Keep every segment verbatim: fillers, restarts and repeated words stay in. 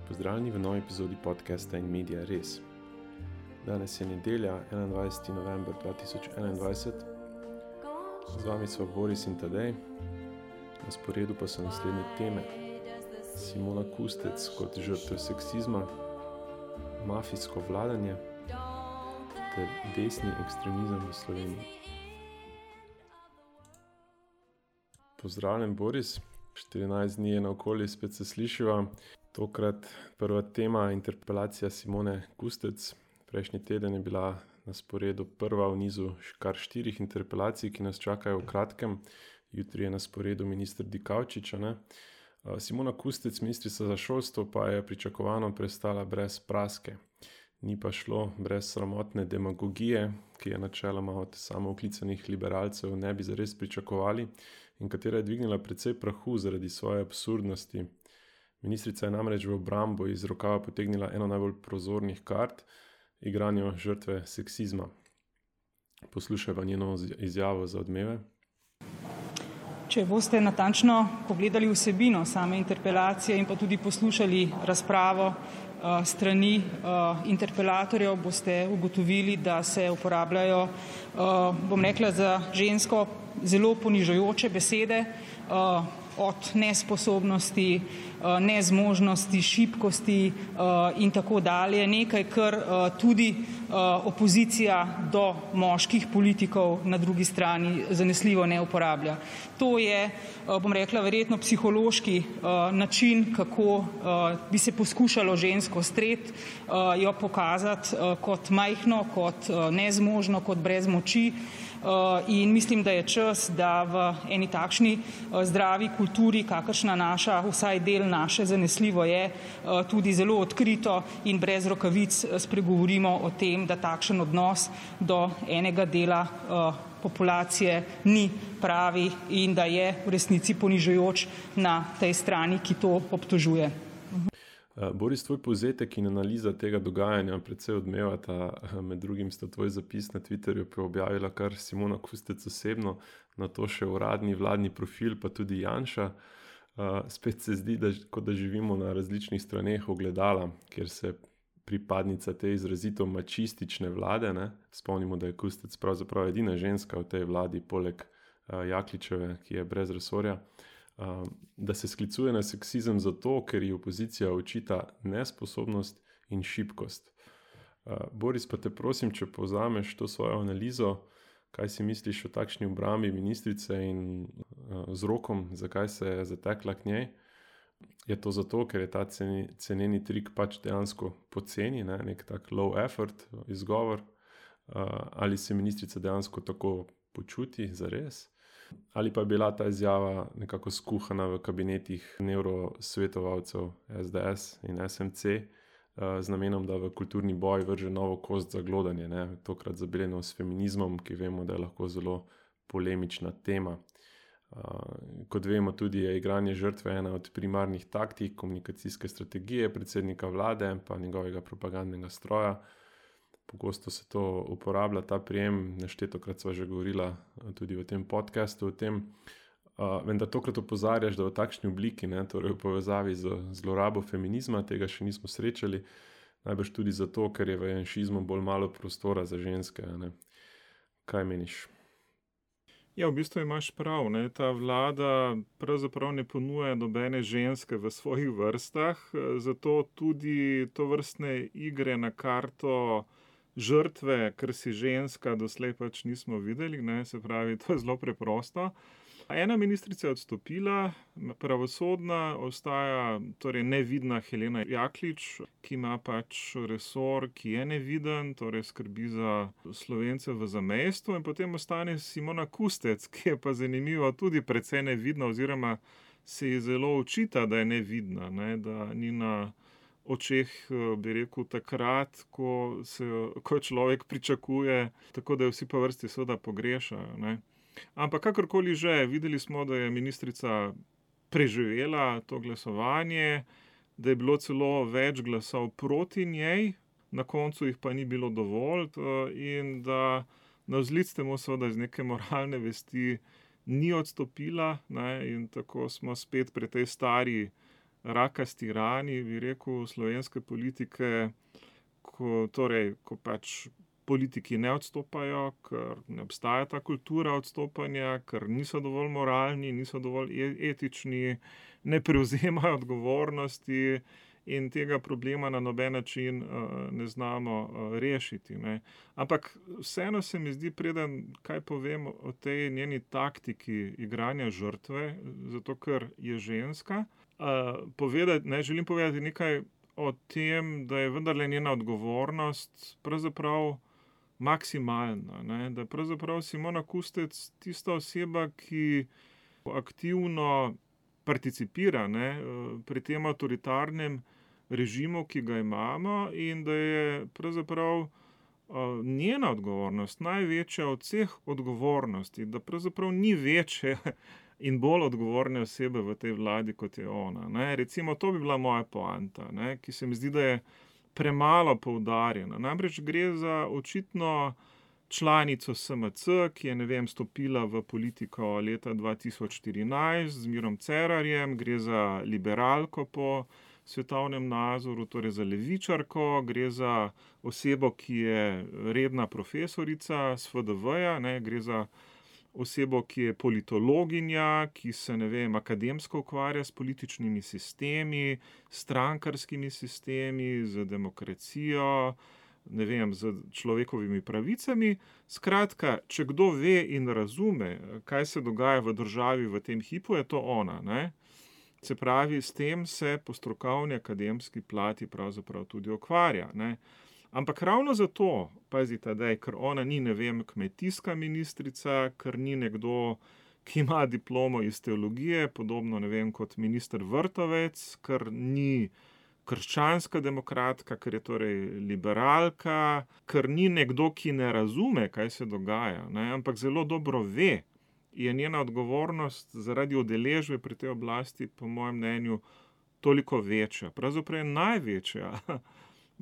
Pozdravljeni v novi epizodi podcasta In Media Res. Danes je nedelja, enaindvajseti november dva tisoč enaindvajset. Z vami so Boris in Tadej. Na sporedu pa so naslednje teme. Simona Kustec kot žrtev seksizma, mafijsko vladanje ter desni ekstremizem v Sloveniji. Pozdravljen, Boris. štirinajst dni je naokoli, spet se slišiva. Tokrat prva tema, interpelacija Simone Kustec. Prejšnji teden je bila na sporedu prva v nizu kar štirih interpelacij, ki nas čakajo v kratkem. Jutri je na sporedu minister Dikaučič. Ne? Simona Kustec, ministrica za šolstvo, pa je pričakovano prestala brez praske. Ni pa šlo brez sramotne demagogije, ki je načeloma od samooklicanih liberalcev ne bi zares pričakovali in katera je dvignila precej prahu zaradi svoje absurdnosti. Ministrica je namreč v obrambo iz rokava potegnila eno najbolj prozornih kart, igranje žrtve seksizma. Poslušajva njeno izjavo za Odmeve. Če boste natančno pogledali vsebino same interpelacije in pa tudi poslušali razpravo uh, strani uh, interpelatorjev, boste ugotovili, da se uporabljajo, uh, bom rekla, za žensko zelo ponižujoče besede, uh, od nesposobnosti, uh, nezmožnosti, šibkosti uh, in tako dalje. Nekaj, kar uh, tudi uh, opozicija do moških politikov na drugi strani zanesljivo ne uporablja. To je, bom rekla, verjetno psihološki uh, način, kako uh, bi se poskušalo žensko streti, uh, jo pokazati uh, kot majhno, kot uh, nezmožno, kot brez moči. Uh, in mislim, da je čas, da v eni takšni uh, zdravi kulturi, kakršna naša, vsaj del naše zanesljivo je, uh, tudi zelo odkrito in brez rokavic spregovorimo o tem, da takšen odnos do enega dela uh, populacije ni pravi in da je v resnici ponižujoč na tej strani, ki to obtožuje. Boris, tvoj povzetek in analiza tega dogajanja predvsej odmevata. Med drugim sta tvoj zapis na Twitterju objavila kar Simona Kustec osebno, na to še uradni vladni profil, pa tudi Janša. Spet se zdi, da, kot da živimo na različnih straneh ogledala, kjer se pripadnica te izrazito mačistične vlade, ne? Spomnimo, da je Kustec pravzaprav edina ženska v tej vladi, poleg Jakličeve, ki je brez resorja, da se sklicuje na seksizem zato, ker ji opozicija očita nesposobnost in šibkost. Boris, pa te prosim, če povzameš to svojo analizo, kaj si misliš o takšni obrambi ministrice in vzrokom, zakaj se je zatekla k njej. Je to zato, ker je ta ceni, ceneni trik pač dejansko poceni, ne? Nek tak low effort izgovor, ali se ministrica dejansko tako počuti zares? Ali pa je bila ta izjava nekako skuhana v kabinetih nevrosvetovalcev es de es in es em ce z namenom, da v kulturni boj vrže novo kost za glodanje, ne? Tokrat zabeljeno s feminizmom, ki vemo, da je lahko zelo polemična tema. Kot vemo, tudi je igranje žrtve ena od primarnih taktik komunikacijske strategije predsednika vlade pa njegovega propagandnega stroja. Pogosto se to uporablja, ta prijem, neštetokrat sva že govorila tudi v tem podcastu o tem, uh, vendar tokrat opozarjaš, da v takšni obliki, ne, torej v povezavi z zlorabo feminizma, tega še nismo srečali, najbrž tudi zato, ker je v janšizmu bolj malo prostora za ženske. Ne. Kaj meniš? Ja, v bistvu imaš prav, ne. Ta vlada pravzaprav ne ponuja nobene ženske v svojih vrstah, zato tudi to vrstne igre na karto žrtve, ker si ženska, doslej pač nismo videli, ne, se pravi, to je zelo preprosto. Ena ministrica je odstopila, pravosodna ostaja torej nevidna Helena Jaklič, ki ima pač resor, ki je neviden, torej skrbi za Slovence v zamejstvu, in potem ostane Simona Kustec, ki je pa zanimivo tudi precej nevidna oziroma se ji zelo očita, da je nevidna, ne, da ni na očeh, bi rekel, takrat, ko, se, ko človek pričakuje, tako da jo vsi po vrsti seveda pogrešajo, ne. Ampak kakorkoli že, videli smo, da je ministrica preživela to glasovanje, da je bilo celo več glasov proti njej, na koncu jih pa ni bilo dovolj in da navzlic temu seveda iz neke moralne vesti ni odstopila, ne, in tako smo spet pri tej stari rakasti rani, bi rekel, slovenske politike, ko, torej, ko pač politiki ne odstopajo, ker ne obstaja ta kultura odstopanja, ker niso dovolj moralni, niso dovolj etični, ne prevzemajo odgovornosti in tega problema na noben način uh, ne znamo uh, rešiti. Ne. Ampak vseeno se mi zdi, preden kaj povem o tej njeni taktiki igranja žrtve, zato ker je ženska, uh, povedati, ne, želim povedati nekaj o tem, da je vendarle njena odgovornost pravzaprav maksimalna, ne? Da je pravzaprav Simona Kustec tista oseba, ki aktivno participira, ne, pri tem avtoritarnem režimu, ki ga imamo, in da je pravzaprav njena odgovornost največja od vseh odgovornosti, da pravzaprav ni večje in bolj odgovorne osebe v tej vladi, kot je ona. Ne. Recimo, to bi bila moja poanta, ne, ki se mi zdi, da je premalo poudarjena. Namreč gre za očitno članico S M C, ki je, ne vem, stopila v politiko leta dva tisoč štirinajst z Mirom Cerarjem, gre za liberalko po svetovnem nazoru, torej za levičarko, gre za osebo, ki je redna profesorica s F D V-ja, ne, gre za osebo, ki je politologinja, ki se, ne vem, akademsko ukvarja s političnimi sistemi, strankarskimi sistemi, z demokracijo, ne vem, z človekovimi pravicami. Skratka, če kdo ve in razume, kaj se dogaja v državi v tem hipu, je to ona, ne. Se pravi, s tem se po strokovni akademski plati pravzaprav tudi ukvarja, ne. Ampak ravno zato, pazite, da je, ker ona ni, ne vem, kmetijska ministrica, ker ni nekdo, ki ima diplomo iz teologije, podobno, ne vem, kot minister Vrtovec, ker ni krščanska demokratka, ker je torej liberalka, ker ni nekdo, ki ne razume, kaj se dogaja, ne, ampak zelo dobro ve, je njena odgovornost zaradi udeležbe pri tej oblasti, po mojem mnenju, toliko večja. Pravzaprav je največja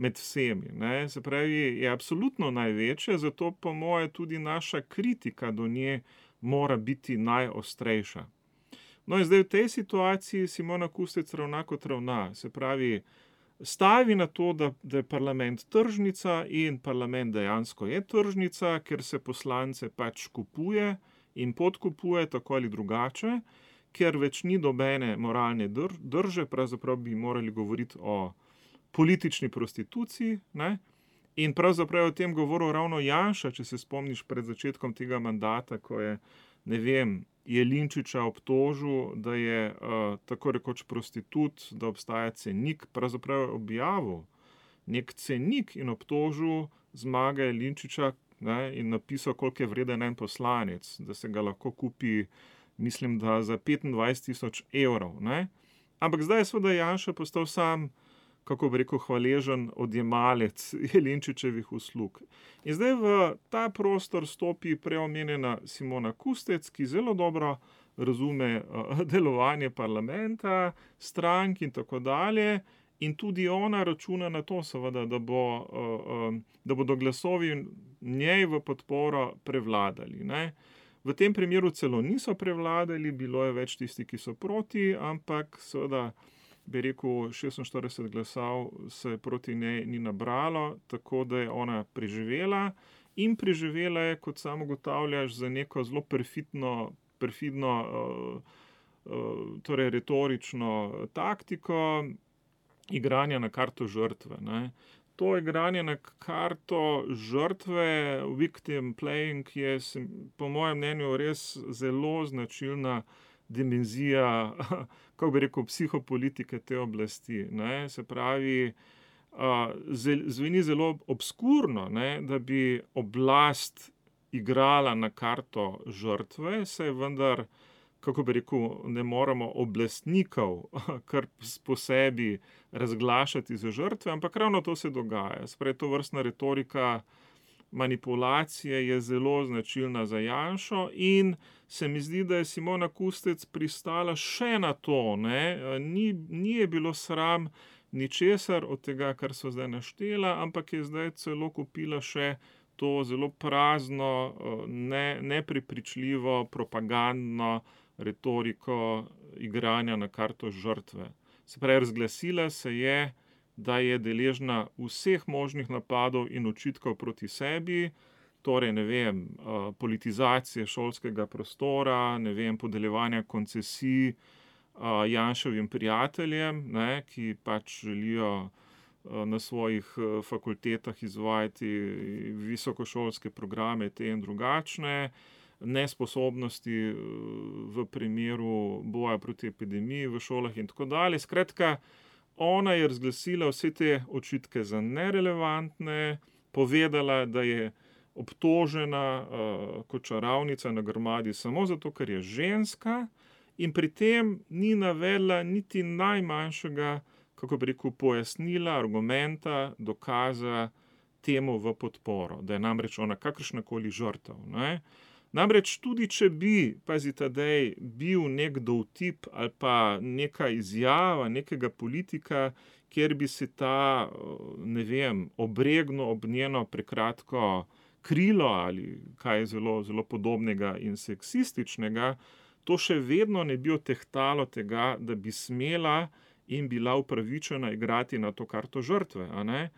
med vsemi, ne, se pravi, je absolutno največja, zato po moje tudi naša kritika do nje mora biti najostrejša. No in zdaj v tej situaciji Simona Kustec ravna kot ravna, se pravi, stavi na to, da, da je parlament tržnica in parlament dejansko je tržnica, ker se poslance pač kupuje in podkupuje tako ali drugače, ker več ni dobene moralne drže, pravzaprav bi morali govoriti o politični prostituciji, ne? In pravzaprav je o tem govoril ravno Janša, če se spomniš pred začetkom tega mandata, ko je, ne vem, Jelinčiča obtožil, da je uh, tako rekoč prostitut, da obstaja cenik, pravzaprav je objavil nek cenik in obtožil Zmaga Jelinčiča, ne, in napisal, koliko je vreden en poslanec, da se ga lahko kupi, mislim, da za petindvajset tisoč evrov, ne. Ampak zdaj je seveda Janša postal sam, kako bi rekel, hvaležen odjemalec Jelinčičevih uslug. In zdaj v ta prostor stopi preomenjena Simona Kustec, ki zelo dobro razume uh, delovanje parlamenta, strank in tako dalje, in tudi ona računa na to, seveda, da, bo, uh, um, da bodo glasovi njej v podporo prevladali, ne. V tem primeru celo niso prevladali, bilo je več tisti, ki so proti, ampak seveda, bi rekel, šestinštirideset glasov se proti njej ni nabralo, tako da je ona preživela in preživela je, kot sam ugotavljaš, za neko zelo perfidno, perfidno uh, uh, torej retorično taktiko igranja na karto žrtve, ne. To igranje na karto žrtve, victim playing, je po mojem mnenju res zelo značilna dimenzija, kako bi rekel, psihopolitike te oblasti, ne, se pravi, uh, zveni zelo obskurno, ne, da bi oblast igrala na karto žrtve, saj vendar, kako bi rekel, ne moremo oblastnikov kar po sebi razglašati za žrtve, ampak ravno to se dogaja. Sprej, to vrstna retorika manipulacije je zelo značilna za Janšo in se mi zdi, da je Simona Kustec pristala še na to, ne, ni, ni je bilo sram ničesar od tega, kar so zdaj naštela, ampak je zdaj celo kupila še to zelo prazno, ne, neprepričljivo, propagandno retoriko igranja na karto žrtve. Se pravi, razglasila se je, da je deležna vseh možnih napadov in očitkov proti sebi, torej, ne vem, politizacije šolskega prostora, ne vem, podeljevanja koncesij Janševim prijateljem, ne, ki pač želijo na svojih fakultetah izvajati visokošolske programe, te in drugačne, nesposobnosti v primeru boja proti epidemiji v šolah in tako dalje. Skratka, ona je razglasila vse te očitke za nerelevantne, povedala, da je obtožena uh, kot čarovnica na grmadi samo zato, ker je ženska, in pri tem ni navedla niti najmanjšega, kako bi rekel, pojasnila, argumenta, dokaza temu v podporo, da je namreč ona kakršnakoli žrtev. Ne? Namreč tudi, če bi, pazi Tadej, bil nek dovtip ali pa neka izjava nekega politika, kjer bi se ta, ne vem, obregnil ob njeno prekratko krilo ali kaj zelo, zelo podobnega in seksističnega, to še vedno ne bi otehtalo tega, da bi smela in bila upravičena igrati na to karto žrtve, a ne?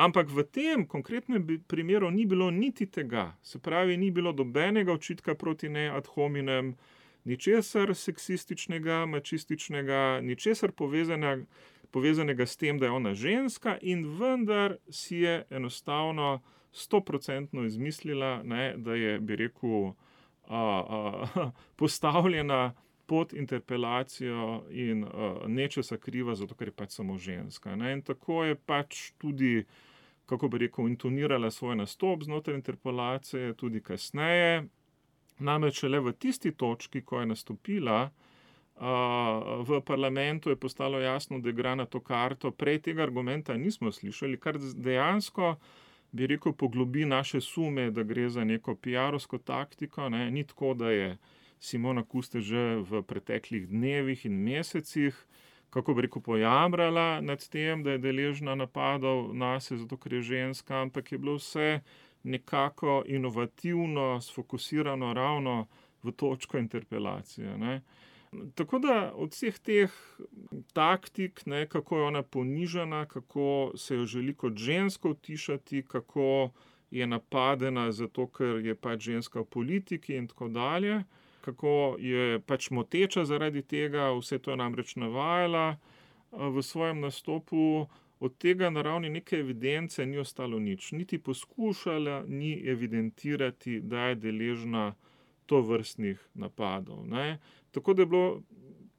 Ampak v tem konkretnem primeru ni bilo niti tega. Se pravi, ni bilo dobenega očitka proti njej ad hominem, ničesar seksističnega, mačističnega, ničesar povezanega, povezanega s tem, da je ona ženska, in vendar si je enostavno stoprocentno izmislila, ne, da je, bi rekel, a, a, postavljena pod interpelacijo in a, nečesa kriva, zato ker je pač samo ženska. Ne. In tako je pač tudi, kako bi rekel, intonirala svoj nastop znotraj interpelacije, tudi kasneje. Namreč le v tisti točki, ko je nastopila, Uh, v parlamentu je postalo jasno, da igra na to karto. Prej tega argumenta nismo slišali, kar dejansko, bi rekel, poglobi naše sume, da gre za neko piarovsko taktiko. Ne? Ni tako, da je Simona Kustec že v preteklih dnevih in mesecih, kako bi rekel, pojamrala nad tem, da je deležna napadov nase, zato ker je ženska, ampak je bilo vse nekako inovativno, sfokusirano ravno v točko interpelacije. Ne? Tako da od vseh teh taktik, ne, kako je ona ponižana, kako se jo želi kot žensko utišati, kako je napadena zato, ker je pač ženska v politiki in tako dalje, kako je pač moteča zaradi tega, vse to je namreč navajala v svojem nastopu, od tega na ravni neke evidence ni ostalo nič. Niti poskušala ni evidentirati, da je deležna to vrstnih napadov. Ne. Tako da je bilo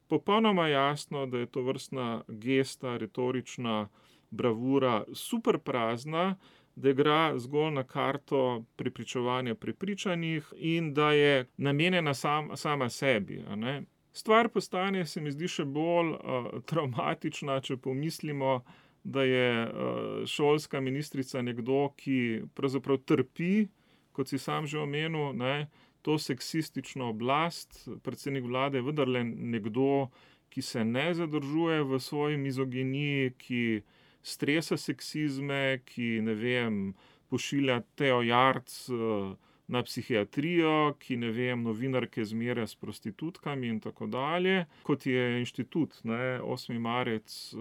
popolnoma jasno, da je to vrstna gesta, retorična bravura super prazna, da igra zgolj na karto prepričevanja prepričanih in da je namenjena sam, sama sebi. A ne. Stvar postane, se mi zdi, še bolj uh, traumatična, če pomislimo, da je uh, šolska ministrica nekdo, ki pravzaprav trpi, kot si sam že omenil, ne, to seksistično oblast. Predsednik vlade je vendarle nekdo, ki se ne zadržuje v svoji mizoginiji, ki stresa seksizme, ki, ne vem, pošilja Teo Jarc na psihiatrijo, ki, ne vem, novinarke zmerja s prostitutkami in tako dalje. Kot je inštitut, ne, osmi marec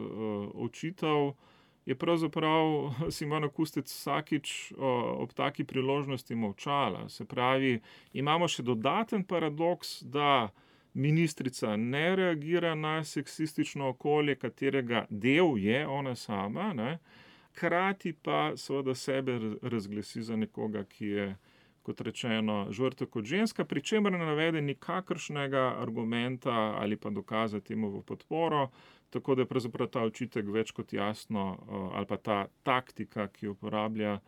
očital, je pravzaprav Simona Kustec vsakič ob taki priložnosti molčala. Se pravi, imamo še dodaten paradoks, da ministrica ne reagira na seksistično okolje, katerega del je ona sama, ne, hkrati pa seveda sebe razglasi za nekoga, ki je, kot rečeno, žrtev kot ženska, pri čemer ne navede nikakršnega argumenta ali pa dokaza temu v podporo. Tako da je pravzaprav ta očitek več kot jasno, ali pa ta taktika, ki jo uporablja,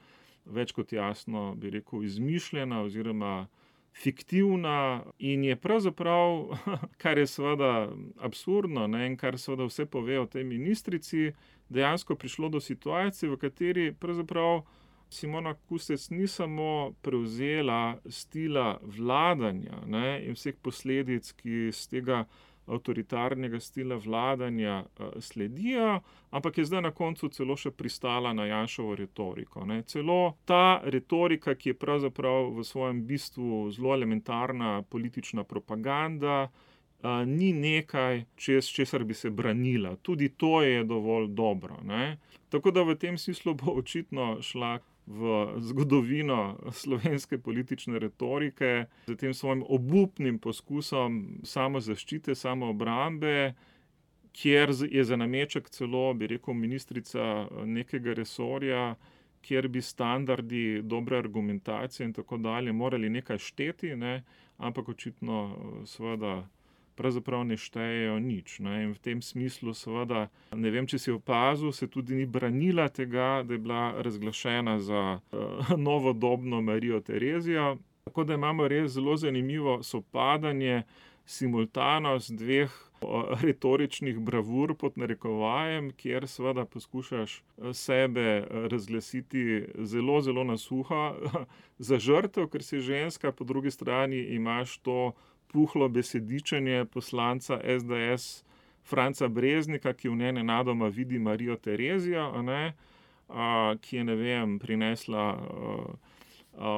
več kot jasno, bi rekel, izmišljena oziroma fiktivna in je pravzaprav, kar je seveda absurdno, ne, in kar seveda vse pove o tej ministrici, dejansko prišlo do situacije, v kateri pravzaprav Simona Kustec ni samo prevzela stila vladanja, ne, in vseh posledic, ki iz tega avtoritarnega stila vladanja sledijo, ampak je zdaj na koncu celo še pristala na Janševo retoriko. Ne. Celo ta retorika, ki je pravzaprav v svojem bistvu zelo elementarna politična propaganda, uh, ni nekaj, čez česar bi se branila. Tudi to je dovolj dobro. Ne? Tako da v tem smislu bo očitno šla v zgodovino slovenske politične retorike z tem svojim obupnim poskusom samozaščite, samoobrambe, kjer je za nameček celo, bi rekel, ministrica nekega resorja, kjer bi standardi dobre argumentacije in tako dalje morali nekaj šteti, ne? Ampak očitno seveda pravzaprav ne štejejo nič. Ne? In v tem smislu seveda, ne vem, če si opazil, se tudi ni branila tega, da je bila razglašena za uh, novodobno Marijo Terezijo. Tako da imamo res zelo zanimivo sopadanje, simultanost dveh retoričnih bravur pod narekovajem, kjer seveda poskušaš sebe razglasiti zelo, zelo na suho za žrtev, ker si ženska, po drugi strani imaš to puhlo besedičenje poslanca es de es Franca Breznika, ki v njej nenadoma vidi Marijo Terezijo, a ne, a, ki je, ne vem, prinesla a, a,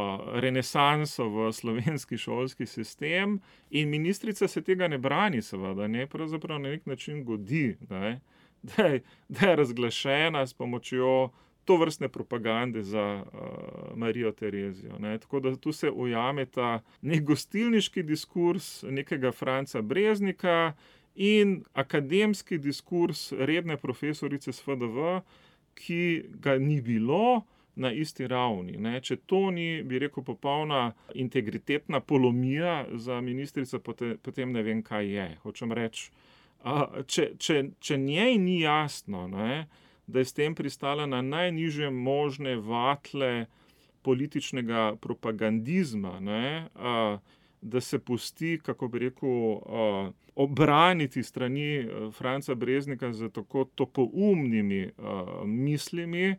renesanso v slovenski šolski sistem, in ministrica se tega ne brani, seveda, ne, pravzaprav na nek način godi, ne, da je, da je razglašena s pomočjo tovrstne propagande za uh, Marijo Terezijo. Ne. Tako da tu se ujame ta nek gostilniški diskurs nekega Franca Breznika in akademski diskurs redne profesorice s fe de ve, ki ga ni bilo na isti ravni. Ne. Če to ni, bi rekel, popolna integritetna polomija za ministrico, potem ne vem, kaj je. Hočem reči, uh, če, če, če njej ni jasno, ne, da je s tem pristala na najnižje možne vatle političnega propagandizma, ne, a, da se pusti, kako bi rekel, a, obraniti strani Franca Breznika z tako topoumnimi a, mislimi,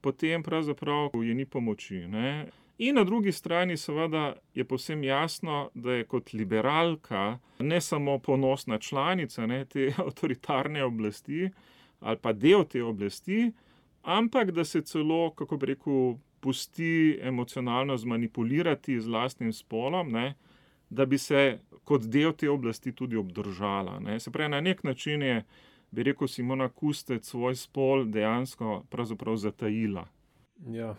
potem pravzaprav je ni pomoči. Ne. In na drugi strani seveda je povsem jasno, da je kot liberalka ne samo ponosna članica, ne, te avtoritarne oblasti, ali pa del te oblasti, ampak da se celo, kako bi rekel, pusti emocionalno zmanipulirati z lastnim spolom, ne, da bi se kot del te oblasti tudi obdržala. Ne. Se pravi, na nek način je, bi rekel, Simona Kustec svoj spol dejansko pravzaprav zatajila. Ja,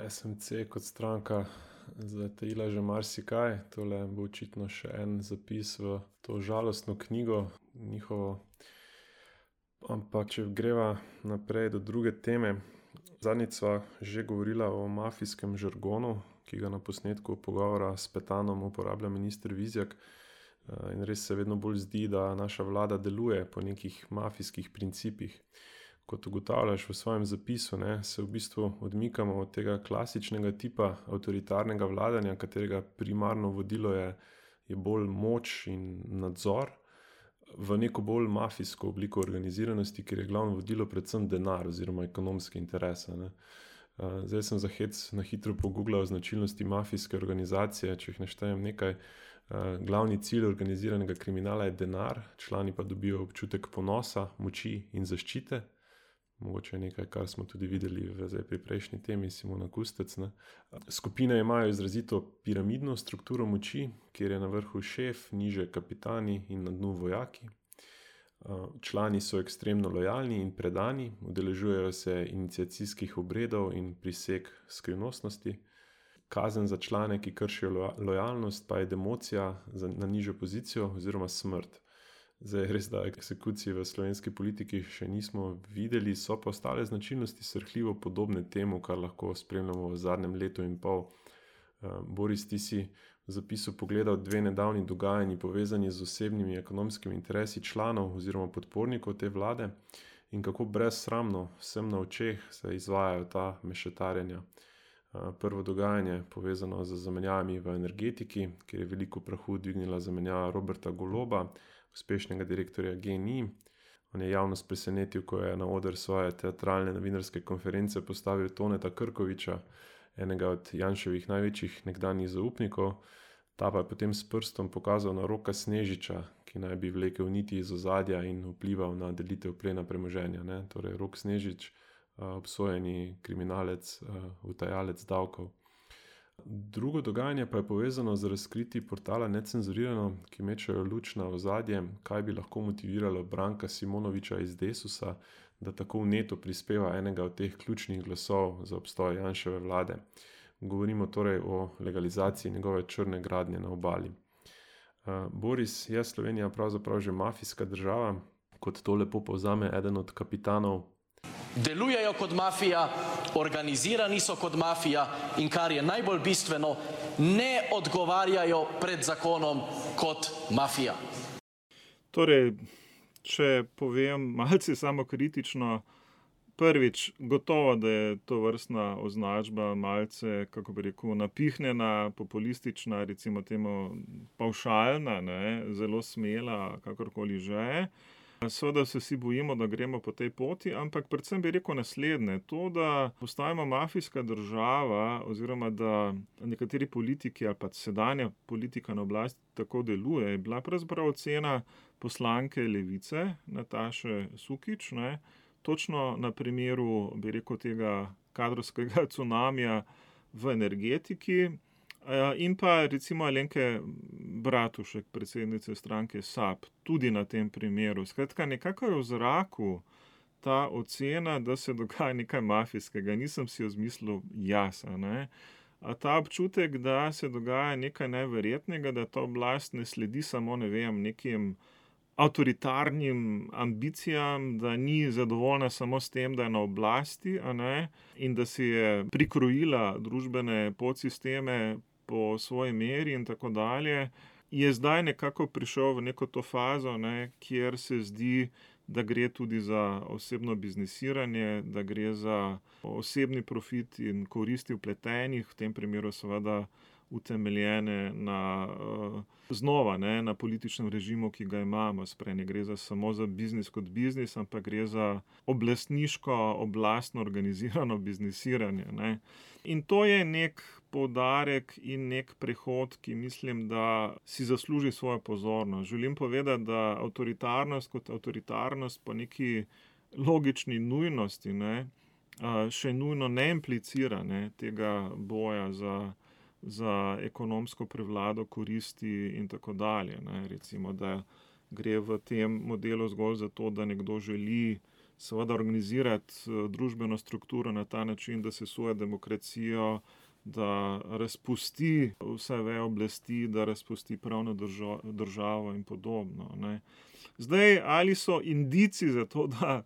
es em ce kot stranka zatajila že marsikaj. Tole bo očitno še en zapis v to žalostno knjigo njihovo. Ampak, če greva naprej do druge teme, zadnjič sva že govorila o mafijskem žargonu, ki ga na posnetku pogovora s Petanom uporablja minister Vizjak, in res se vedno bolj zdi, da naša vlada deluje po nekih mafijskih principih. Kot ugotavljaš v svojem zapisu, ne, se v bistvu odmikamo od tega klasičnega tipa avtoritarnega vladanja, katerega primarno vodilo je, je bolj moč in nadzor, v neko bolj mafijsko obliko organiziranosti, kjer je glavno vodilo predvsem denar oziroma ekonomske interese. Ne. Zdaj sem za hec na hitro pogooglal značilnosti mafijske organizacije, če jih naštejem nekaj. Glavni cilj organiziranega kriminala je denar, člani pa dobijo občutek ponosa, moči in zaščite. Mogoče nekaj, kar smo tudi videli v, zdaj pri prejšnji temi, Simona Kustec. Ne. Skupine imajo izrazito piramidno strukturo moči, kjer je na vrhu šef, niže kapitani in na dnu vojaki. Člani so ekstremno lojalni in predani, udeležujejo se iniciacijskih obredov in priseg skrivnostnosti. Kazen za člane, ki kršijo lojalnost, pa je democija na nižjo pozicijo oziroma smrt. Zdaj, res da eksekucije v slovenski politiki še nismo videli, so pa ostale značilnosti srhljivo podobne temu, kar lahko spremljamo v zadnjem letu in pol. Boris, ti si v zapisu pogledal dve nedavni dogajanji povezani z osebnimi ekonomskimi interesi članov oziroma podpornikov te vlade in kako brezsramno vsem na očeh se izvajajo ta mešetarjenja. Prvo dogajanje povezano z zamenjavami v energetiki, kjer je veliko prahu dvignila zamenjava Roberta Goloba, uspešnega direktorja G N I. On je javnost presenetil, ko je na oder svoje teatralne novinarske konference postavil Toneta Krkoviča, enega od Janševih največjih nekdanjih zaupnikov. Ta pa je potem s prstom pokazal na Roka Snežiča, ki naj bi vlekel niti iz ozadja in vplival na delitev plena premoženja. Ne? Torej, Rok Snežič, obsojeni kriminalec, utajalec davkov. Drugo dogajanje pa je povezano z razkriti portala Necenzurirano, ki mečejo luč na ozadje, kaj bi lahko motiviralo Branka Simonoviča iz Desusa, da tako vneto prispeva enega od teh ključnih glasov za obstoj Janševe vlade. Govorimo torej o legalizaciji njegove črne gradnje na obali. Uh, Boris, je Slovenija pravzaprav že mafijska država, kot to lepo povzame eden od kapitanov? Delujejo kot mafija, organizirani so kot mafija in kar je najbolj bistveno, ne odgovarjajo pred zakonom kot mafija. Torej, če povem malce samokritično, prvič, gotovo, da je to vrstna označba malce, kako bi rekel, napihnjena, populistična, recimo temu pavšalna, ne, zelo smela, kakorkoli že. Seveda se vsi bojimo, da gremo po tej poti, ampak predvsem bi rekel naslednje. To, da postajamo mafijska država oziroma da nekateri politiki ali pa sedanja politika na oblasti tako deluje, je bila pravzaprav ocena poslanke Levice Nataše Sukič, ne, točno na primeru, bi rekel, tega kadrovskega cunamija v energetiki. In pa recimo Alenke Bratušek, predsednice stranke S A B, tudi na tem primeru. Skratka, nekako je v zraku ta ocena, da se dogaja nekaj mafijskega. Nisem si jo zmislil jaz, ne. A ta občutek, da se dogaja nekaj neverjetnega, da ta oblast ne sledi samo, ne vem, nekim avtoritarnim ambicijam, da ni zadovoljna samo s tem, da je na oblasti, a ne, in da si je prikrojila družbene podsisteme po svoji meri in tako dalje, je zdaj nekako prišel v neko to fazo, ne, kjer se zdi, da gre tudi za osebno biznisiranje, da gre za osebni profit in koristi vpletenih, v tem primeru seveda utemeljene na, znova, ne, na političnem režimu, ki ga imamo. Sprej ne gre za, samo za biznis kot biznis, ampak gre za oblastniško, oblastno organizirano biznisiranje, ne. In to je nek poudarek in nek prehod, ki mislim, da si zasluži svojo pozornost. Želim povedati, da avtoritarnost kot avtoritarnost po neki logični nujnosti, ne, še nujno ne implicira, ne, tega boja za za ekonomsko prevlado, koristi in tako dalje, ne. Recimo, da gre v tem modelu zgolj za to, da nekdo želi seveda organizirati družbeno strukturo na ta način, da sesuje demokracijo, da razpusti vse veje oblasti, da razpusti pravno državo, državo in podobno, ne. Zdaj, ali so indici za to, da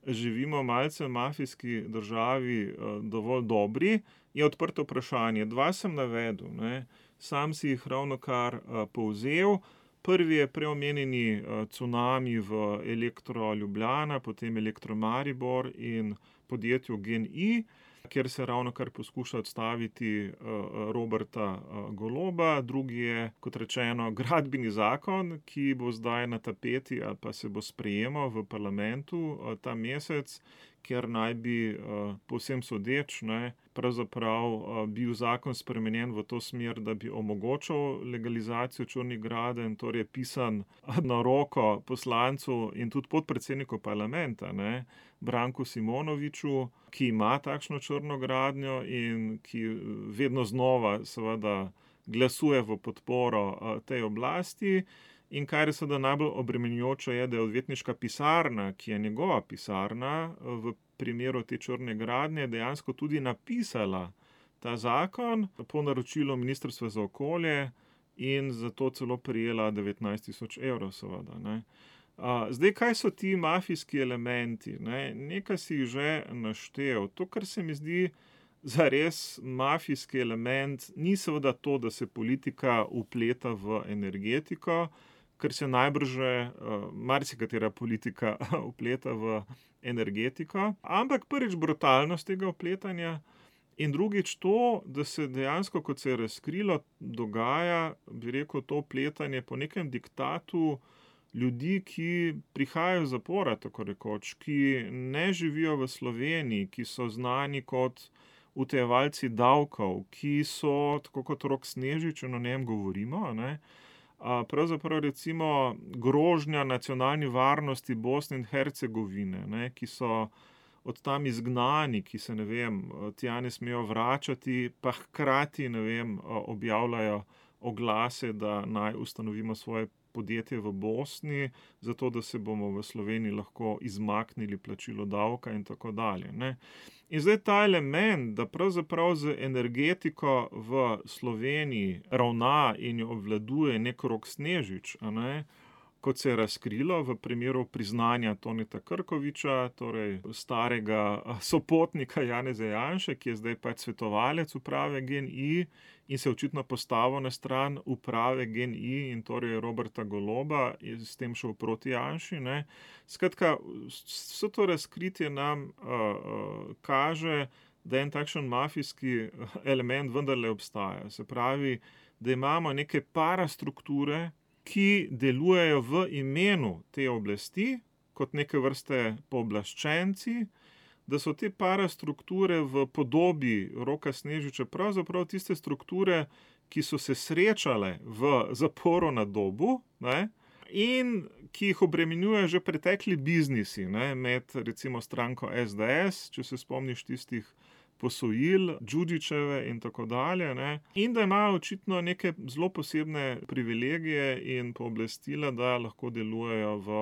živimo malce v mafijski državi, dovolj dobri, je odprto vprašanje. Dva sem navedel, ne. Sam si jih ravnokar povzel. Prvi je preomenjeni cunami v Elektro Ljubljana, potem Elektro Maribor in podjetju GEN-I, kjer se ravnokar poskuša odstaviti Roberta Goloba. Drugi je, kot rečeno, gradbeni zakon, ki bo zdaj na tapeti ali pa se bo sprejemal v parlamentu ta mesec, kjer naj bi, povsem sodeč, ne, pravzaprav bil zakon spremenjen v to smer, da bi omogočal legalizacijo črnih gradenj, torej pisan na roko poslancu in tudi podpredsedniku parlamenta, ne, Branku Simonoviču, ki ima takšno črno gradnjo in ki vedno znova seveda glasuje v podporo tej oblasti. In kar je seveda najbolj obremenjujoče je, da je odvetniška pisarna, ki je njegova pisarna, v primeru te črne gradnje dejansko tudi napisala ta zakon po naročilu Ministrstva za okolje in za to celo prejela devetnajst tisoč evrov, seveda, ne. Zdaj, kaj so ti mafijski elementi, ne? Nekaj si jih že naštel. To, kar se mi zdi zares mafijski element, ni seveda to, da se politika vpleta v energetiko, ker se najbrž že marsikatera politika vpleta v energetiko, ampak prvič brutalnost tega vpletanja in drugič to, da se dejansko, kot se je razkrilo, dogaja, bi rekel, to vpletanje po nekem diktatu ljudi, ki prihajajo iz zapora, tako rekoč, ki ne živijo v Sloveniji, ki so znani kot utajevalci davkov, ki so, tako kot Rok Snežič, o njem govorimo, ne, pravzaprav recimo grožnja nacionalni varnosti Bosne in Hercegovine, ne, ki so od tam izgnani, ki se, ne vem, tja ne smejo vračati, pa hkrati, ne vem, objavljajo oglase, da naj ustanovimo svoje podjetje v Bosni, zato da se bomo v Sloveniji lahko izmaknili plačilo davka in tako dalje, ne. In zdaj ta element, da pravzaprav z energetiko v Sloveniji ravna in jo obvladuje nek Rok Snežič, a ne, kot se je razkrilo v primeru priznanja Toneta Krkoviča, torej starega sopotnika Janeza Janše, ki je zdaj pač svetovalec uprave GEN-I in se očitno postavil na stran uprave GEN-I in torej Roberta Goloba in s tem šel proti Janši, ne. Skratka, vse to razkritje nam uh, uh, kaže, da en takšen mafijski element vendarle obstaja. Se pravi, da imamo neke parastrukture, ki delujejo v imenu te oblasti, kot neke vrste pooblaščenci, da so te parastrukture v podobi Roka Snežiča pravzaprav tiste strukture, ki so se srečale v zaporu na Dobu, ne, in ki jih obremenjuje že pretekli biznisi, ne, med recimo stranko es de es, če se spomniš tistih posojil, Đuđićeve in tako dalje, ne, in da imajo očitno neke zelo posebne privilegije in pooblastila, da lahko delujejo v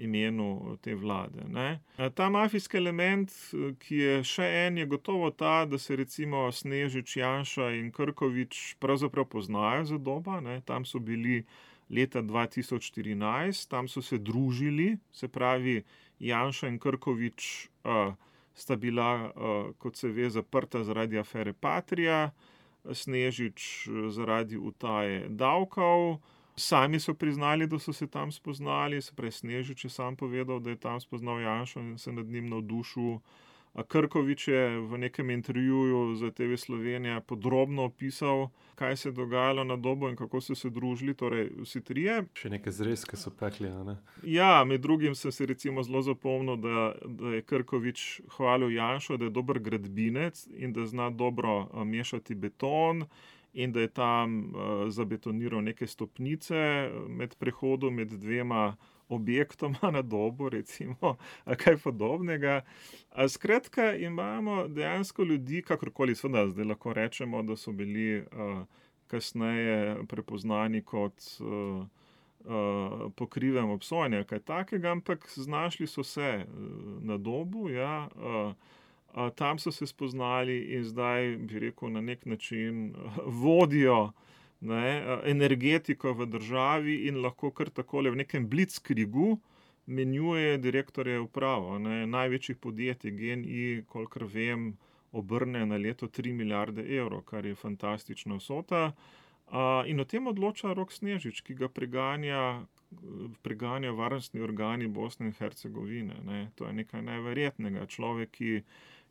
imenu te vlade, ne. Ta mafijski element, ki je še en, je gotovo ta, da se recimo Snežič, Janša in Krkovič pravzaprav poznajo za Doba, ne, tam so bili leta dva tisoč štirinajst, tam so se družili, se pravi Janša in Krkovič uh, sta bila, uh, kot se ve, zaprta zaradi afere Patria, Snežič zaradi utaje davkov. Sami so priznali, da so se tam spoznali, se pravi Snežič je sam povedal, da je tam spoznal Janšo in se nad njim navdušil. Krkovič je v nekem intervjuju za te ve Slovenija podrobno opisal, kaj se je dogajalo na Dobu in kako so se družili, torej vsi trije. Še neke zrezke so pekli, a ne? Ja, med drugim sem se recimo zelo zapomnil, da, da je Krkovič hvalil Janšo, da je dober gradbinec in da zna dobro mešati beton in da je tam uh, zabetoniral neke stopnice med prehodom med dvema objektoma na Dobu, recimo, a kaj podobnega. A skratka, imamo dejansko ljudi, kakorkoli seveda zdaj lahko rečemo, da so bili uh, kasneje prepoznani kot uh, uh, po krivem obsojenju, kaj takega, ampak znašli so se uh, na Dobu, ja, uh, uh, tam so se spoznali in zdaj, bi rekel, na nek način uh, vodijo Ne, energetiko v državi in lahko kar takole v nekem blitzkriegu menjuje direktorje upravo. Ne. Največjih podjetij GEN-I, kolikor vem, obrne na leto tri milijarde evrov, kar je fantastična vsota. A, in o tem odloča Rok Snežič, ki ga preganja, preganja varnostni organi Bosne in Hercegovine. Ne. To je nekaj neverjetnega. Človek, ki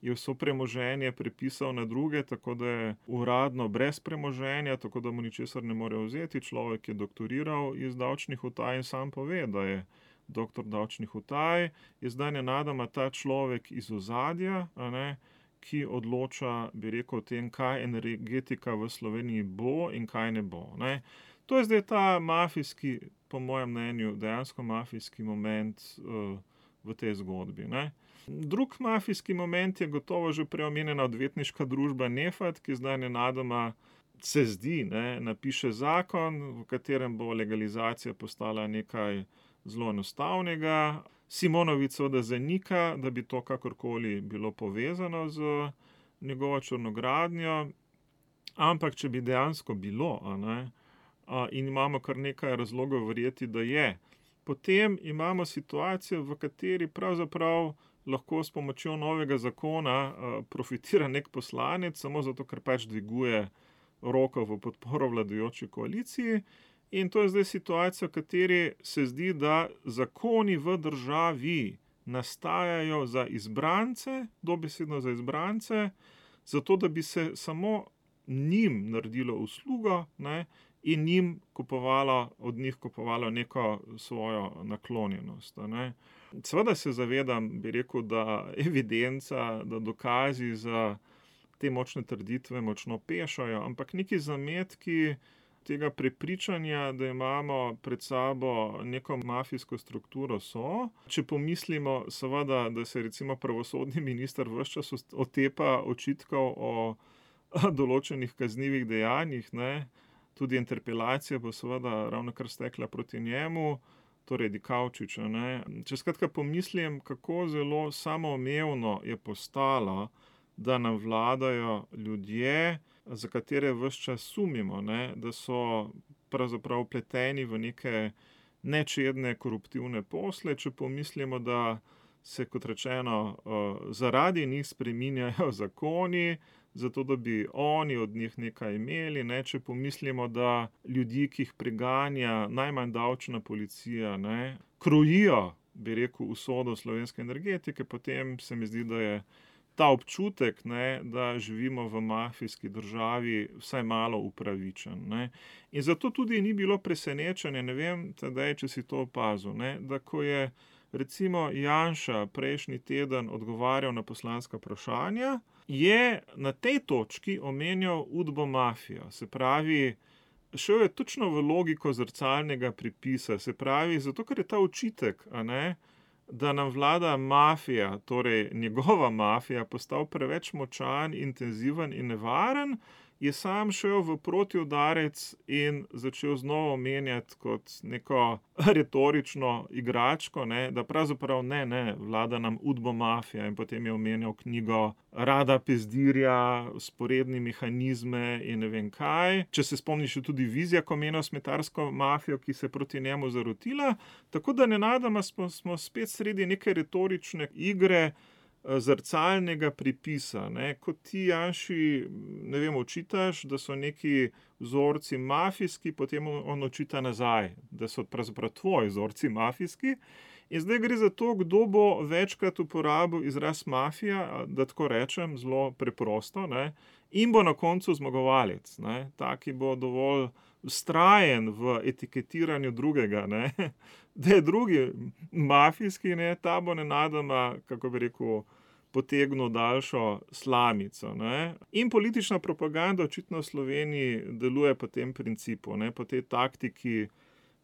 je vso premoženje prepisal na druge, tako da je uradno brez premoženja, tako da mu ničesar ne more vzeti. Človek je doktoriral iz davčnih utaj in sam pove, da je doktor davčnih utaj. Je zdaj nenadoma ta človek iz ozadja, a ne, ki odloča, bi rekel, o tem, kaj energetika v Sloveniji bo in kaj ne bo. Ne. To je zdaj ta mafijski, po mojem mnenju, dejansko mafijski moment uh, v tej zgodbi, ne. Drug mafijski moment je gotovo že preomenjena odvetniška družba Nefat, ki zdaj nenadoma se zdi, ne, napiše zakon, v katerem bo legalizacija postala nekaj zelo enostavnega. Simonović seveda zanika, da bi to kakorkoli bilo povezano z njegovo črnogradnjo, ampak če bi dejansko bilo, a ne, a, in imamo kar nekaj razlogov verjeti, da je, potem imamo situacijo, v kateri pravzaprav lahko s pomočjo novega zakona uh, profitira nek poslanec, samo zato, ker pač dviguje roko v podporo vladajoči koaliciji. In to je zdaj situacija, v kateri se zdi, da zakoni v državi nastajajo za izbrance, dobesedno za izbrance, zato da bi se samo njim naredilo uslugo, ne, in njim kupovalo, od njih kupovalo neko svojo naklonjenost. Ne. Seveda se zavedam, bi rekel, da evidenca, da dokazi za te močne trditve močno pešajo, ampak neki zametki tega prepričanja, da imamo pred sabo neko mafijsko strukturo, so. Če pomislimo, seveda, da se recimo pravosodni minister ves čas otepa očitkov o določenih kaznivih dejanjih, ne, tudi interpelacija bo seveda ravnokar stekla proti njemu, torej Dikaučiča, ne. Če skratka pomislim, kako zelo samoumevno je postalo, da nam vladajo ljudje, za katere ves čas sumimo, ne, da so pravzaprav vpleteni v neke nečedne koruptivne posle, če pomislimo, da se, kot rečeno, zaradi njih spreminjajo zakoni, zato da bi oni od njih nekaj imeli, ne, če pomislimo, da ljudi, ki jih preganja najmanj davčna policija, ne, krojijo, bi rekel, usodo slovenske energetike, potem se mi zdi, da je ta občutek, ne, da živimo v mafijski državi, vsaj malo upravičen, ne. In zato tudi ni bilo presenečenje, ne vem, Tadej, če si to opazil, ne, da ko je recimo Janša prejšnji teden odgovarjal na poslanska vprašanja, je na tej točki omenjal Udbo mafijo. Se pravi, šel je točno v logiko zrcalnega pripisa, se pravi, zato ker je ta očitek, a ne, da nam vlada mafija, torej njegova mafija, postal preveč močan, intenziven in nevaren, je sam šel v protiudarec in začel znova omenjati kot neko retorično igračko, ne, da pravzaprav ne, ne, vlada nam Udbo mafija, in potem je omenjal knjigo Rada Pezdirja, Vzporedni mehanizme in ne vem kaj. Če se spomniš, tudi Vizjak omenil smetarsko mafijo, ki se je proti njemu zarotila, tako da nenadoma smo, smo spet sredi neke retorične igre, zrcalnega pripisa, ne, kot ti Janši, ne vem, očitaš, da so neki vzorci mafijski, potem on očita nazaj, da so pravzaprav tvoji vzorci mafijski. In zdaj gre za to, kdo bo večkrat uporabil izraz mafija, da tako rečem, zelo preprosto, ne, in bo na koncu zmagovalec, ne, taki bo dovolj vztrajen v etiketiranju drugega, ne, da je drugi mafijski, ne, ta bo nenadoma, kako bi rekel, potegnil daljšo slamico, ne. In politična propaganda očitno v Sloveniji deluje po tem principu, ne, po tej taktiki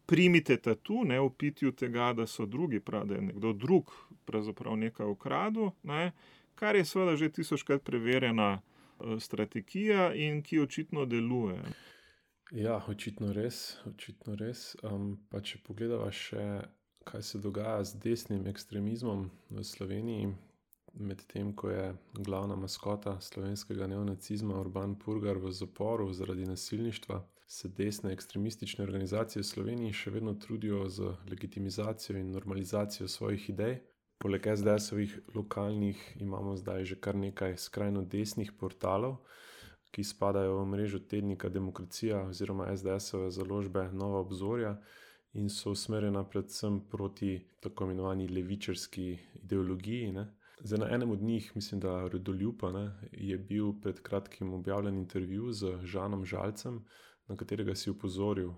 primite tatu, ne, v pitju tega, da so drugi, da je nekdo drug pravzaprav nekaj ukradel, ne, kar je seveda že tisočkrat preverjena strategija in ki očitno deluje. Ja, očitno res, očitno res. Um, pa če pogledava še, kaj se dogaja z desnim ekstremizmom v Sloveniji, medtem ko je glavna maskota slovenskega neonacizma Urban Purgar v zaporu zaradi nasilništva, se desne ekstremistične organizacije v Sloveniji še vedno trudijo z legitimizacijo in normalizacijo svojih idej. Poleg es de esovih lokalnih imamo zdaj že kar nekaj skrajno desnih portalov, ki spadajo v mrežo tednika Demokracija oziroma es de esove založbe Nova obzorja in so usmerjena predvsem proti tako imenovani levičarski ideologiji, ne. Zdaj, na enem od njih, mislim, da Rodoljuba, ne, je bil pred kratkim objavljen intervju z Žanom Žalcem, na katerega si upozoril.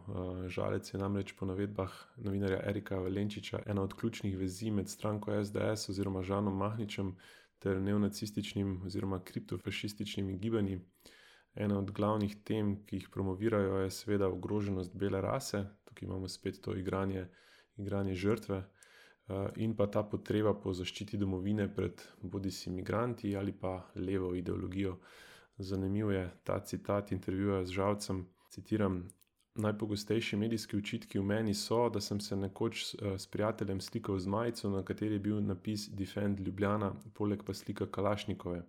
Žalec je namreč po navedbah novinarja Erika Valenčiča ena od ključnih vezi med stranko es de es oziroma Žanom Mahničem ter neonacističnim oziroma kriptofašističnimi gibanji. Ena od glavnih tem, ki jih promovirajo, je seveda ogroženost bele rase, tukaj imamo spet to igranje, igranje žrtve, in pa ta potreba po zaščiti domovine pred bodisi migranti ali pa levo ideologijo. Zanimiv je ta citat intervjuja z Žalcem, citiram: "Najpogostejši medijski očitki v meni so, da sem se nekoč s prijateljem slikal z majico, na kateri je bil napis Defend Ljubljana, poleg pa slika Kalašnikove.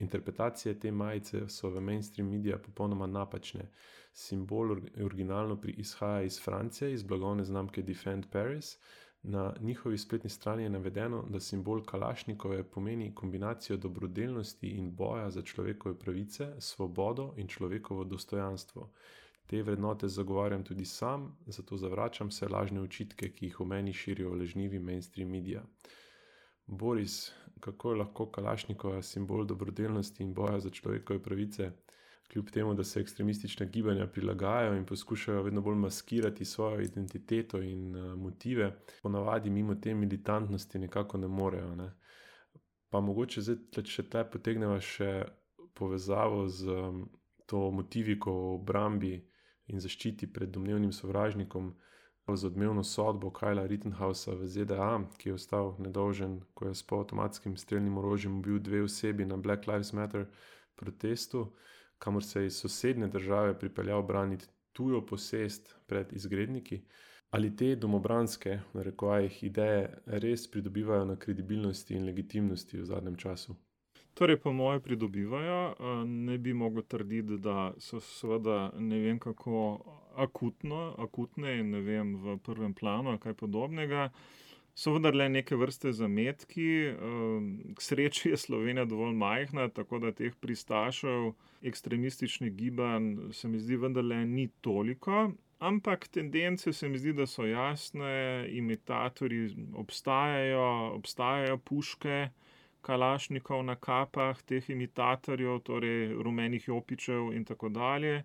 Interpretacije te majice so v mainstream medija popolnoma napačne. Simbol originalno izhaja iz Francije, iz blagovne znamke Defend Paris. Na njihovi spletni strani je navedeno, da simbol Kalašnikove pomeni kombinacijo dobrodelnosti in boja za človekove pravice, svobodo in človekovo dostojanstvo. Te vrednote zagovarjam tudi sam, zato zavračam vse lažne očitke, ki jih v meni širijo lažnivi mainstream medija." Boris, kako je lahko Kalašnikova simbol dobrodelnosti in boja za človekove pravice, kljub temu, da se ekstremistična gibanja prilagajajo in poskušajo vedno bolj maskirati svojo identiteto in uh, motive, ponavadi mimo te militantnosti nekako ne morejo, ne. Pa mogoče zdaj še tle potegneva še povezavo z um, to motiviko o obrambi in zaščiti pred domnevnim sovražnikom z odmevno sodbo Kyla Rittenhousa v Z D A, ki je ostal nedolžen, ko je s polavtomatskim strelnim orožjem ubil dve osebi na Black Lives Matter protestu, kamor se je iz sosednje države pripeljal braniti tujo posest pred izgredniki. Ali te domobranske, v narekovajih, ideje res pridobivajo na kredibilnosti in legitimnosti v zadnjem času? Torej, po moje pridobivajo. Ne bi mogel trditi, da so seveda ne vem kako akutno, akutne in ne vem v prvem planu ali kaj podobnega. So vendarle neke vrste zametki. K sreči je Slovenija dovolj majhna, tako da teh pristašev ekstremističnih gibanj se mi zdi vendarle ni toliko. Ampak tendence se mi zdi, da so jasne, imitatorji obstajajo, obstajajo puške kalašnikov na kapah teh imitatorjev, torej rumenih jopičev in tako dalje,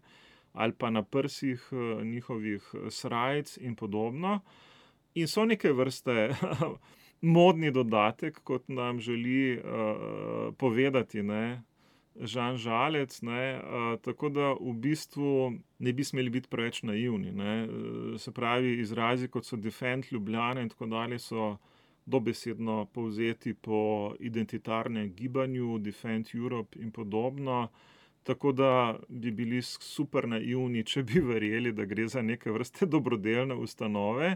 ali pa na prsih njihovih srajc in podobno. In so neke vrste modni dodatek, kot nam želi uh, povedati, ne, Žan Žalec, ne, uh, tako da v bistvu ne bi smeli biti preveč naivni, ne. Se pravi, izrazi, kot so Defend Ljubljana in tako dalje, so dobesedno povzeti po identitarnem gibanju, Defend Europe in podobno, tako da bi bili super naivni, če bi verjeli, da gre za neke vrste dobrodelne ustanove,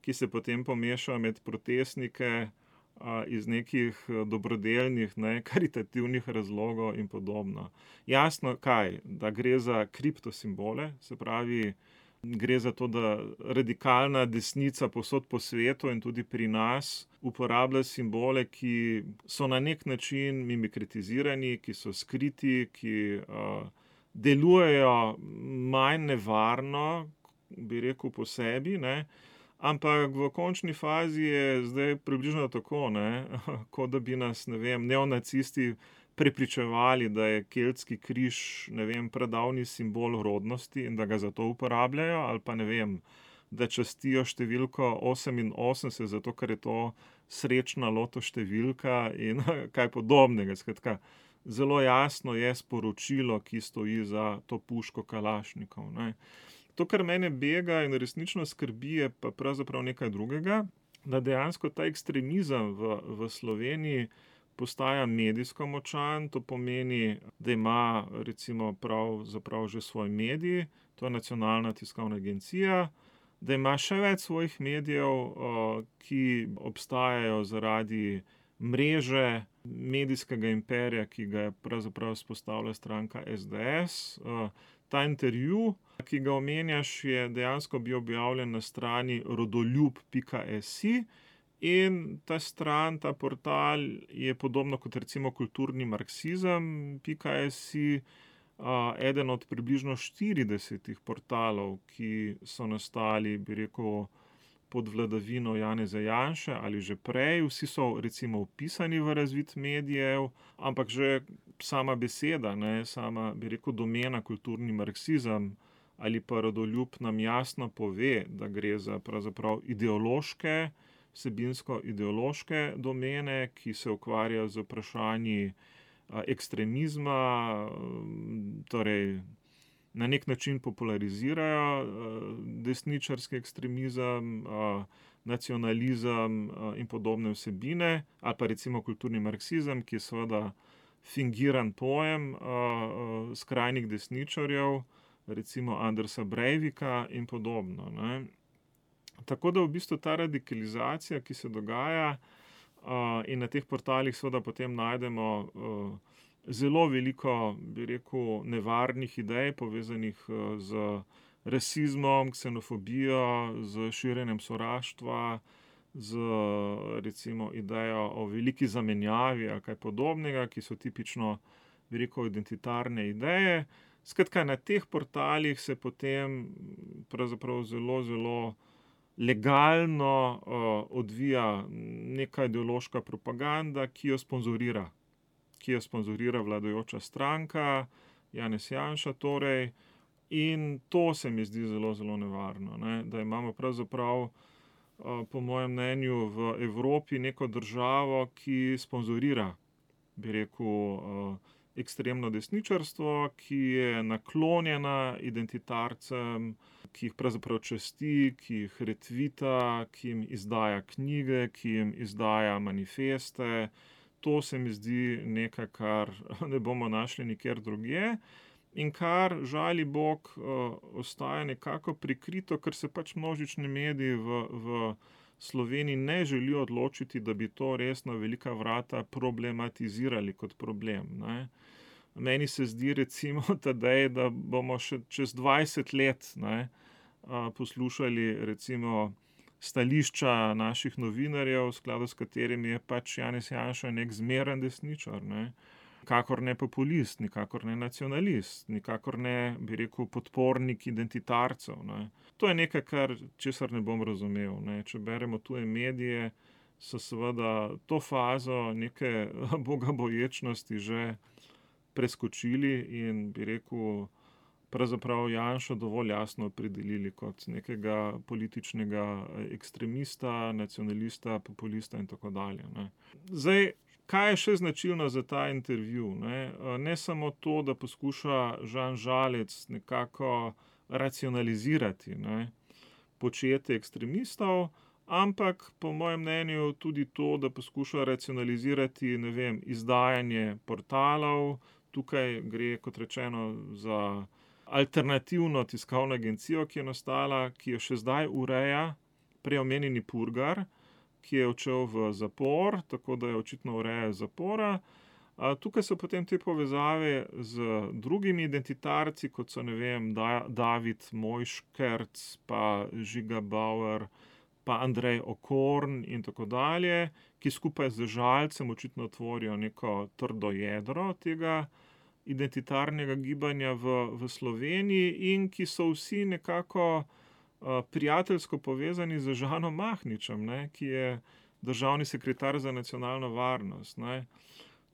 ki se potem pomešajo med protestnike a, iz nekih dobrodelnih, ne, karitativnih razlogov in podobno. Jasno, kaj? Da gre za kriptosimbole, se pravi, gre za to, da radikalna desnica povsod po svetu in tudi pri nas uporablja simbole, ki so na nek način mimikritizirani, ki so skriti, ki uh, delujejo manj nevarno, bi rekel, po sebi, ne. Ampak v končni fazi je zdaj približno tako, ne, kot da bi nas, ne vem, neonacisti prepričevali, da je keltski križ, ne vem, pradavni simbol rodnosti in da ga zato uporabljajo, ali pa ne vem, da častijo številko oseminosemdeset, zato ker je to srečna loto številka in kaj podobnega. Skratka, zelo jasno je sporočilo, ki stoji za to puško kalašnikov, ne. To, kar mene bega in resnično skrbi, je pa pravzaprav nekaj drugega, da dejansko ta ekstremizem v, v Sloveniji postaja medijsko močan. To pomeni, da ima recimo pravzaprav že svoj medij, to je Nacionalna tiskovna agencija, da ima še več svojih medijev, ki obstajajo zaradi mreže medijskega imperija, ki ga je pravzaprav vzpostavila stranka S D S. Ta intervju, ki ga omenjaš, je dejansko bil objavljen na strani rodoljub pika si in ta stran, ta portal je podobno kot recimo kulturni marksizem pika si, eden od približno štiridesetih portalov, ki so nastali, bi rekel, pod vladavino Janeza Janše ali že prej. Vsi so recimo vpisani v razvid medijev, ampak že sama beseda, ne, sama, bi rekel, domena kulturni marksizem ali pa rodoljub nam jasno pove, da gre za pravzaprav ideološke, vsebinsko ideološke domene, ki se ukvarjajo z vprašanji ekstremizma, torej na nek način popularizirajo desničarski ekstremizem, nacionalizem in podobne vsebine, ali pa recimo kulturni marksizem, ki je seveda fingiran pojem skrajnih desničarjev, recimo Andersa Breivika in podobno, ne. Tako da v bistvu ta radikalizacija, ki se dogaja, in na teh portalih seveda potem najdemo zelo veliko, bi rekel, nevarnih idej, povezanih z rasizmom, ksenofobijo, z širjenjem sovraštva, z recimo idejo o veliki zamenjavi ali kaj podobnega, ki so tipično, bi rekel, identitarne ideje. Skratka, na teh portalih se potem pravzaprav zelo, zelo legalno uh, odvija neka ideološka propaganda, ki jo sponzorira, ki jo sponzorira vladajoča stranka, Janez Janša torej, in to se mi zdi zelo, zelo nevarno, ne? Da imamo pravzaprav, uh, po mojem mnenju, v Evropi neko državo, ki sponzorira, bi rekel, uh, ekstremno desničarstvo, ki je naklonjena identitarcem, ki jih pravzaprav časti, ki jih retvita, ki jim izdaja knjige, ki jim izdaja manifeste. To se mi zdi nekaj, kar ne bomo našli nikjer drugje in kar, žali Bog, ostaja nekako prikrito, ker se pač množični mediji v, v Sloveniji ne želijo odločiti, da bi to res na velika vrata problematizirali kot problem, ne. Meni se zdi recimo tedaj, da bomo še čez dvajset let, ne, poslušali recimo stališča naših novinarjev, v skladu s katerimi je pač Janez Janša nek zmeren desničar, ne. Nikakor ne populist, nikakor ne nacionalist, nikakor ne, bi rekel, podpornik identitarcev, ne. To je nekaj, kar, česar ne bom razumel, ne. Če beremo tuje medije, so seveda to fazo neke bogaboječnosti že preskočili in, bi rekel, pravzaprav Janšo dovolj jasno opredelili kot nekega političnega ekstremista, nacionalista, populista in tako dalje, ne. Zdaj, kaj je še značilno za ta intervju, ne? Ne samo to, da poskuša Žan Žalec nekako racionalizirati, ne, početje ekstremistov, ampak po mojem mnenju tudi to, da poskuša racionalizirati, ne vem, izdajanje portalov. Tukaj gre, kot rečeno, za alternativno tiskovno agencijo, ki je nastala, ki jo še zdaj ureja prej omenjeni Purgar, ki je odšel v zapor, tako da je očitno ureja zapora. A tukaj so potem te povezave z drugimi identitarci, kot so, ne vem, da, David Mojškerc, pa Žiga Bauer, pa Andrej Okorn in tako dalje, ki skupaj z Žalcem očitno tvorijo neko trdo jedro tega identitarnega gibanja v, v Sloveniji in ki so vsi nekako uh, prijateljsko povezani z Žanom Mahničem, ne, ki je državni sekretar za nacionalno varnost, ne.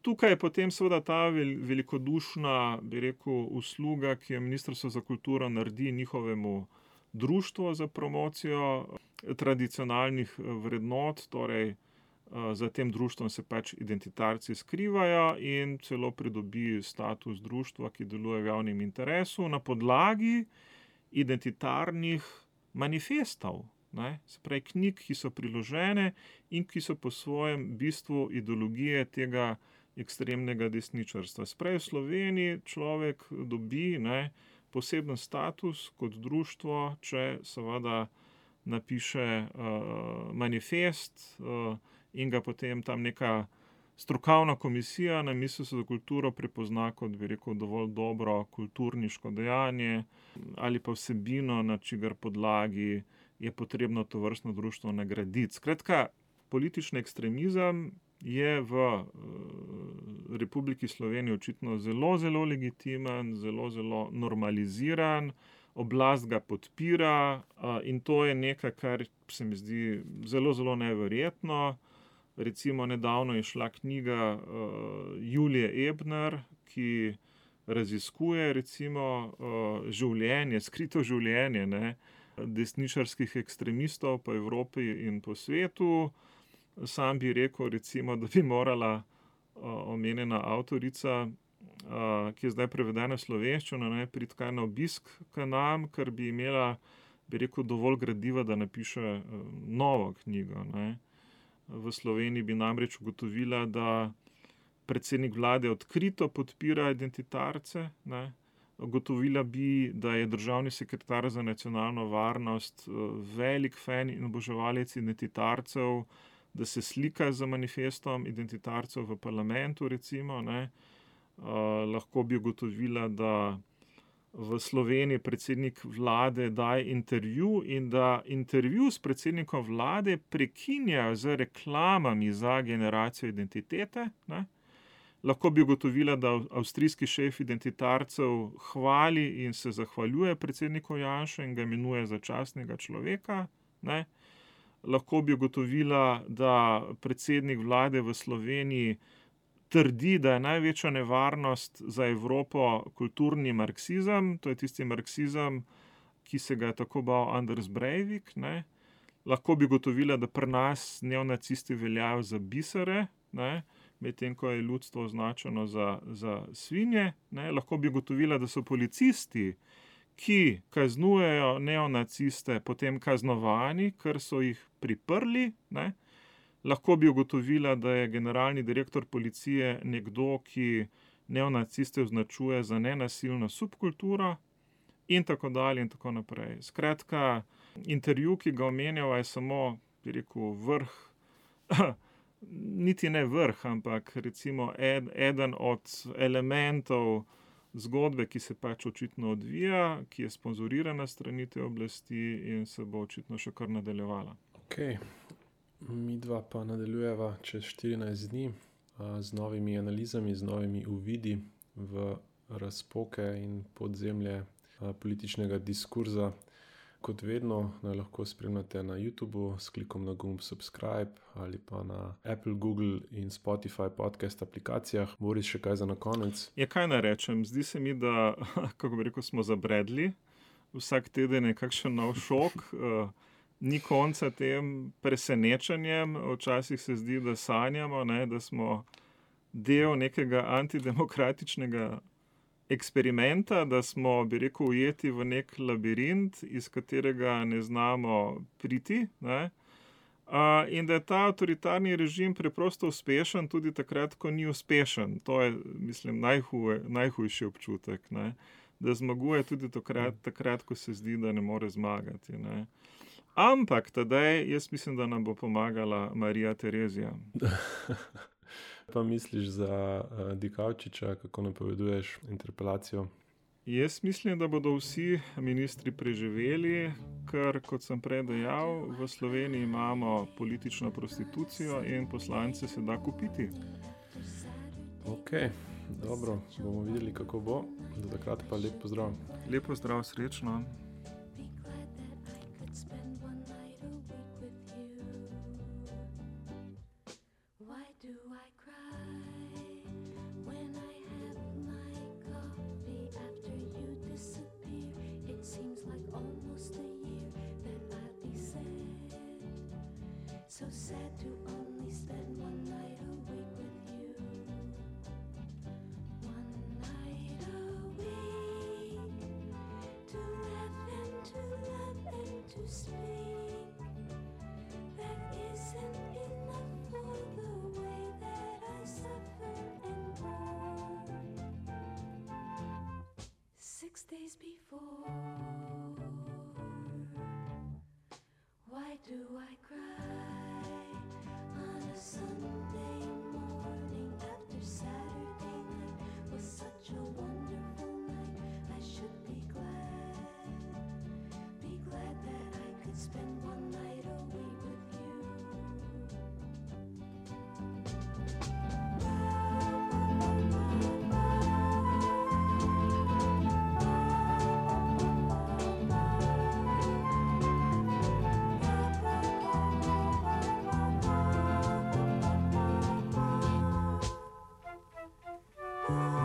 Tukaj je potem seveda ta vel, velikodušna, bi rekel, usluga, ki jo Ministrstvo za kulturo naredi njihovemu društvu za promocijo tradicionalnih vrednot, torej za tem društvom se pač identitarci skrivajo in celo pridobi status društva, ki deluje v javnem interesu na podlagi identitarnih manifestov, ne, se pravi knjig, ki so priložene in ki so po svojem bistvu ideologije tega ekstremnega desničarstva. Se pravi, v Sloveniji človek dobi, ne, poseben status kot društvo, če seveda napiše uh, manifest uh, in ga potem tam neka strokovna komisija na Ministrstvu za kulturo prepozna kot, bi rekel, dovolj dobro kulturniško dejanje ali pa vsebino, na čigar podlagi je potrebno tovrstno društvo nagraditi. Skratka, politični ekstremizem je v uh, Republiki Sloveniji očitno zelo, zelo legitimen, zelo, zelo normaliziran, oblast ga podpira uh, in to je nekaj, kar se mi zdi zelo, zelo neverjetno. Recimo nedavno je šla knjiga uh, Julije Ebner, ki raziskuje recimo uh, življenje, skrito življenje, ne, desničarskih ekstremistov po Evropi in po svetu. Sam bi rekel recimo, da bi morala uh, omenjena avtorica, uh, ki je zdaj prevedena v slovenščino, ne, priti kaj na obisk k nam, ker bi imela, bi rekel, dovolj gradiva, da napiše uh, novo knjigo, ne. V Sloveniji bi namreč ugotovila, da predsednik vlade odkrito podpira identitarce, ne. Ugotovila bi, da je državni sekretar za nacionalno varnost velik fan in oboževalec identitarcev, da se slika z manifestom identitarcev v parlamentu, recimo, ne. Uh, lahko bi ugotovila, da v Sloveniji predsednik vlade daje intervju in da intervju s predsednikom vlade prekinjajo z reklamami za generacijo identitete, ne. Lahko bi ugotovila, da avstrijski šef identitarcev hvali in se zahvaljuje predsedniku Janši in ga imenuje za častnega človeka, ne. Lahko bi ugotovila, da predsednik vlade v Sloveniji trdi, da je največja nevarnost za Evropo kulturni marksizem, to je tisti marksizem, ki se ga je tako bal Anders Breivik, ne. Lahko bi ugotovila, da pri nas neonacisti veljajo za bisere, ne. medtem ko je ljudstvo označeno za, za svinje. Ne. Lahko bi ugotovila, da so policisti, ki kaznujejo neonaciste, potem kaznovani, ker so jih priprli. Ne. Lahko bi ugotovila, da je generalni direktor policije nekdo, ki neonaciste označuje za nenasilno subkulturo in tako dalje in tako naprej. Skratka, intervju, ki ga omenjava, je samo, bi rekel, vrh, niti ne vrh, ampak recimo ed, eden od elementov zgodbe, ki se pač očitno odvija, ki je sponzorirana strani te oblasti in se bo očitno še kar nadaljevala. Ok, mi dva pa nadaljujeva čez štirinajst dni a, z novimi analizami, z novimi uvidi v razpoke in podzemlje a, političnega diskurza. Kot vedno naj lahko spremljate na YouTubu s klikom na gumb subscribe ali pa na Apple, Google in Spotify podcast aplikacijah. Boris, še kaj za na konec? Ja, kaj naj rečem? Zdi se mi, da, kako bi rekel, smo zabredli. Vsak teden je kakšen nov šok. Ni konca tem presenečenjem. Včasih se zdi, da sanjamo, ne, da smo del nekega antidemokratičnega eksperimenta, da smo, bi rekel, ujeti v nek labirint, iz katerega ne znamo priti, ne? Uh, in da je ta avtoritarni režim preprosto uspešen tudi takrat, ko ni uspešen. To je, mislim, najhuje, najhujši občutek, ne? Da zmaguje tudi takrat, takrat, ko se zdi, da ne more zmagati. Ne? Ampak tedaj, jaz mislim, da nam bo pomagala Marija Terezija. Pa misliš za uh, Dikaučiča, kako napoveduješ interpelacijo? Jaz mislim, da bodo vsi ministri preživeli, ker, kot sem prej dejal, v Sloveniji imamo politično prostitucijo in poslance se da kupiti. Ok, dobro, bomo videli, kako bo. Do takrat pa lep pozdrav. Lep pozdrav, srečno. So sad to only spend one night awake with you. One night a week to laugh and to love and to speak. That isn't enough for the way that I suffer and groan. Six days before, why do I cry? Sunday morning after Saturday night was such a wonderful night. I should be glad, be glad that I could spend one night away with you. Oh